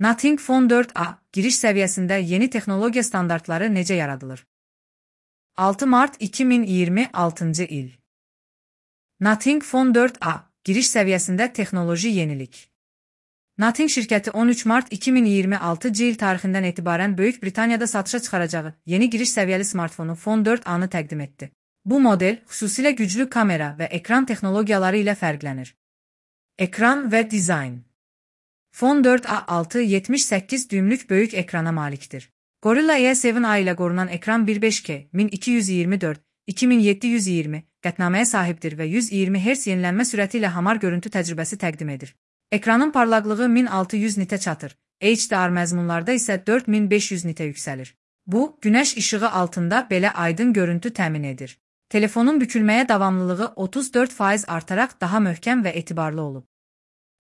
Nothing Phone 4a giriş səviyyəsində yeni texnologiya standartları necə yaradılır? 6 mart 2026 il. Nothing Phone 4a giriş səviyyəsində texnoloji yenilik. Nothing şirkəti 13 mart 2026 il tarixindən etibarən Böyük Britaniyada satışa çıxaracağı yeni giriş səviyyəli smartfonu Phone 4a-nı təqdim etdi. Bu model xüsusilə güclü kamera və ekran texnologiyaları ilə fərqlənir. Ekran və dizayn. Phone 4a 6.78 düymlük böyük ekrana malikdir. Gorilla E7a ilə qorunan ekran 1.5K 1224-2720 qətnaməyə sahibdir və 120 Hz yenilənmə sürəti ilə hamar görüntü təcrübəsi təqdim edir. Ekranın parlaqlığı 1600 nitə çatır, HDR məzmunlarda isə 4500 nitə yüksəlir. Bu, günəş işığı altında belə aydın görüntü təmin edir. Telefonun bükülməyə davamlılığı 34% artaraq daha möhkəm və etibarlı olub.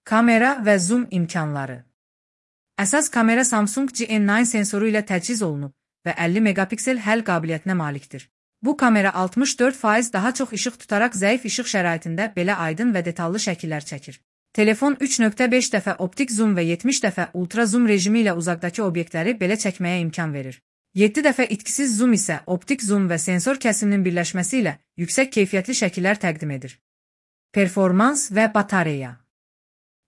Kamera və zoom imkanları. Əsas kamera Samsung GN9 sensoru ilə təchiz olunub və 50 megapiksel həll qabiliyyətinə malikdir. Bu kamera 64% daha çox işıq tutaraq zəif işıq şəraitində belə aydın və detallı şəkillər çəkir. Telefon 3.5 dəfə optik zoom və 70 dəfə ultra zoom rejimi ilə uzaqdakı obyektləri belə çəkməyə imkan verir. 7 dəfə itkisiz zoom isə optik zoom və sensor kəsiminin birləşməsi ilə yüksək keyfiyyətli şəkillər təqdim edir. Performans və batareya.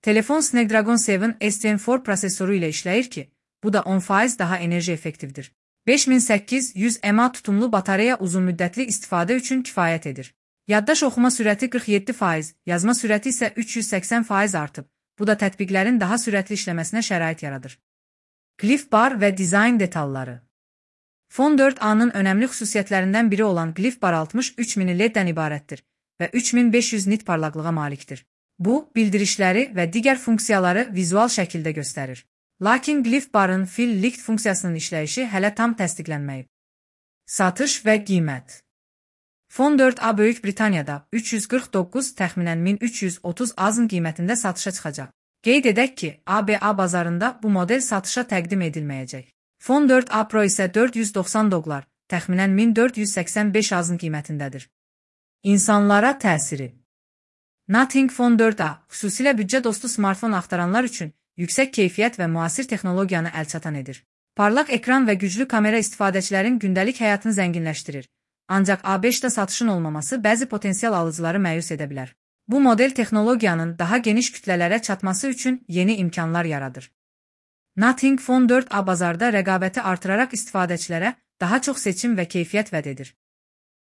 Telefon Snapdragon 7 STM4 prosesoru ilə işləyir ki, bu da 10% daha enerji effektivdir. 5800 mAh tutumlu batareya uzunmüddətli istifadə üçün kifayət edir. Yaddaş oxuma sürəti 47%, yazma sürəti isə 380% artıb. Bu da tətbiqlərin daha sürətli işləməsinə şərait yaradır. Qlif bar və dizayn detalları. Phone 4a-nın önəmli xüsusiyyətlərindən biri olan qlif bar 63 mini LED-dən ibarətdir və 3500 nit parlaqlığa malikdir. Bu, bildirişləri və digər funksiyaları vizual şəkildə göstərir. Lakin qlif barın fill light funksiyasının işləyişi hələ tam təsdiqlənməyib. Satış və qiymət. Phone 4a Böyük Britaniyada 349 təxminən 1330 AZN qiymətində satışa çıxacaq. Qeyd edək ki, ABA bazarında bu model satışa təqdim edilməyəcək. Phone 4a Pro isə $490, təxminən 1485 AZN qiymətindədir. İnsanlara təsiri. Nothing Phone 4a xüsusilə büdcə dostu smartfon axtaranlar üçün yüksək keyfiyyət və müasir texnologiyanı əlçatan edir. Parlaq ekran və güclü kamera istifadəçilərin gündəlik həyatını zənginləşdirir. Ancaq A5-də satışın olmaması bəzi potensial alıcıları məyus edə bilər. Bu model texnologiyanın daha geniş kütlələrə çatması üçün yeni imkanlar yaradır. Nothing Phone 4a bazarda rəqabəti artıraraq istifadəçilərə daha çox seçim və keyfiyyət vəd edir.